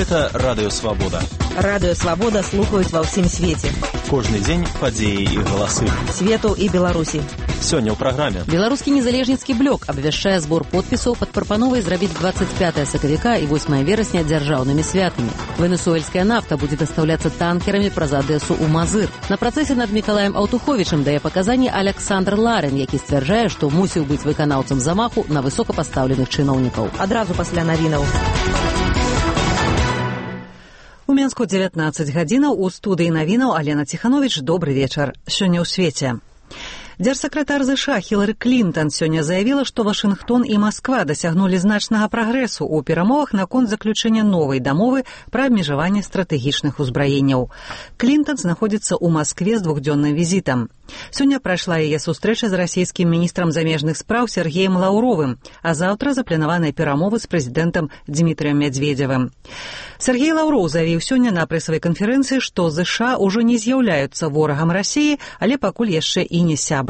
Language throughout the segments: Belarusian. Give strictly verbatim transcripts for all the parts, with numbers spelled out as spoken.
Гэта Радыё Свабода. Радыё Свабода слухаюць ва ўсім свеце. Кожны дзень падзеі і галасы. Свету і Беларусі. Сёння ў праграме. Беларускі незалежніцкі блок абвяшчае збор подпісаў пад прапановай зрабіць двадцать пятое сакавіка і восьмое верасня дзяржаўнымі святамі. Венесуэльская нафта будзе дастаўляцца танкерамі праз Адэсу ў Мазыр. На працэсе над Мікалаем Аўтуховічым дае паказанні Александр Ларин, які сцвярджае, што мусіў быць выканаўцам замаху на высокапастаўленых чыноўнікаў. Адразу пасля навінаў. У Мінску дзевятнаццаць гадзінаў, у студыі навінаў Алена Ціхановіч. Добры вечар. Сёння ў свеце. Дзяржсакратар ЗША Хілары Клінтон сёння заявіла, што Вашынгтон і Масква дасягнулі значнага прагрэсу ў перамовах наконт заключэння новай дамовы пра абмежаванне стратэгічных узбраенняў. Клінтон знаходзіцца ў Маскве з двухдзённым візітам. Сёння прайшла яе сустрэча з расійскім міністрам замежных спраў Сергеем Лаўровым, а заўтра запланаваныя перамовы з прэзідэнтам Дзмітрыем Мядзведзевым. Сергей Лаўроў заявіў сёння на прэсавай канферэнцыі, што ЗША ўжо не з'яўляюцца ворагам Расіі, але пакуль яшчэ і не сябрам.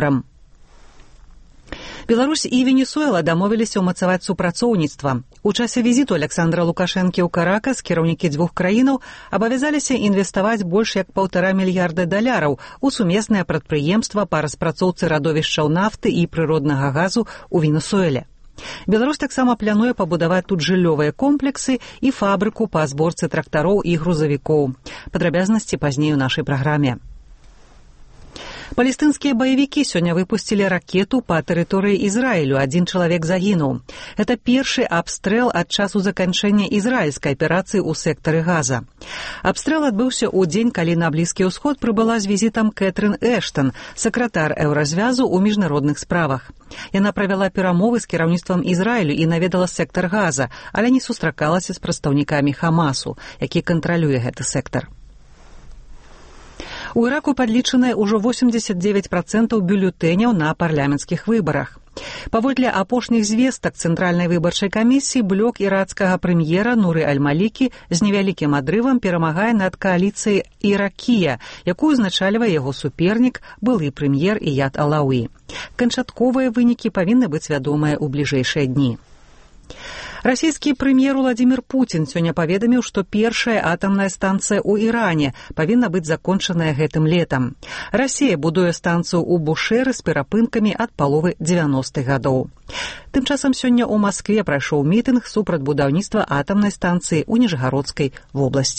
Беларусь і Венесуэла дамовіліся ўмацаваць супрацоўніцтва. У часе візіту Александра Лукашэнкі ў Каракас кіраўнікі дзвюх краінаў абавязаліся інвеставаць больш як паўтара мільярда даляраў у сумеснае прадпрыемства па распрацоўцы радовішчаў нафты і прыроднага газу ў Венесуэле. Беларусь таксама плануе пабудаваць тут жыллёвыя комплексы і фабрыку па зборцы трактароў і грузавікоў. Падрабязнасці пазней у нашай праграме. Палестынскія баевікі сёння выпусцілі ракету па тэрыторыі Ізраілю. Адзін чалавек загінуў. Гэта першы абстрэл ад часу заканчэння ізраільскай аперацыі ў сектары Газа. Абстрэл адбыўся ў дзень, калі на Блізкі ўсход прыбыла з візітам Кэтрын Эштон, сакратар Еўразвязу ў міжнародных справах. Яна правяла перамовы з кіраўніцтвам Ізраілю і наведала сектар Газа, але не сустракалася з прадстаўнікамі Хамасу, які кантралюе гэты сектар. У Іраку падлічаныя ўжо восемьдесят девять процентаў бюлетэняў на парламенцкіх выбарах. Паводле апошніх звестак Цэнтральнай выбарчай камісіі, блок ірацкага прэм'ера Нуры Аль-Малікі з невялікім адрывам перамагае над кааліцыяй Іракія, якую узначальвае яго супернік, былы прэм'ер Іяд Алауі. Канчатковыя вынікі павінны быць вядомыя ў бліжэйшыя дні. Расійскі прэм'ер Уладзімір Пуцін сёння паведаміў, што першая атамная станцыя ў Іране павінна быць закончаная гэтым летам. Расія будуе станцыю ў Бушэры з перапынкамі ад паловы дзевяностых гадоў. Тым часам сёння ў Маскве прайшоў мітынг супраць будаўніцтва атамнай станцыі ў Ніжгародскай вобласці.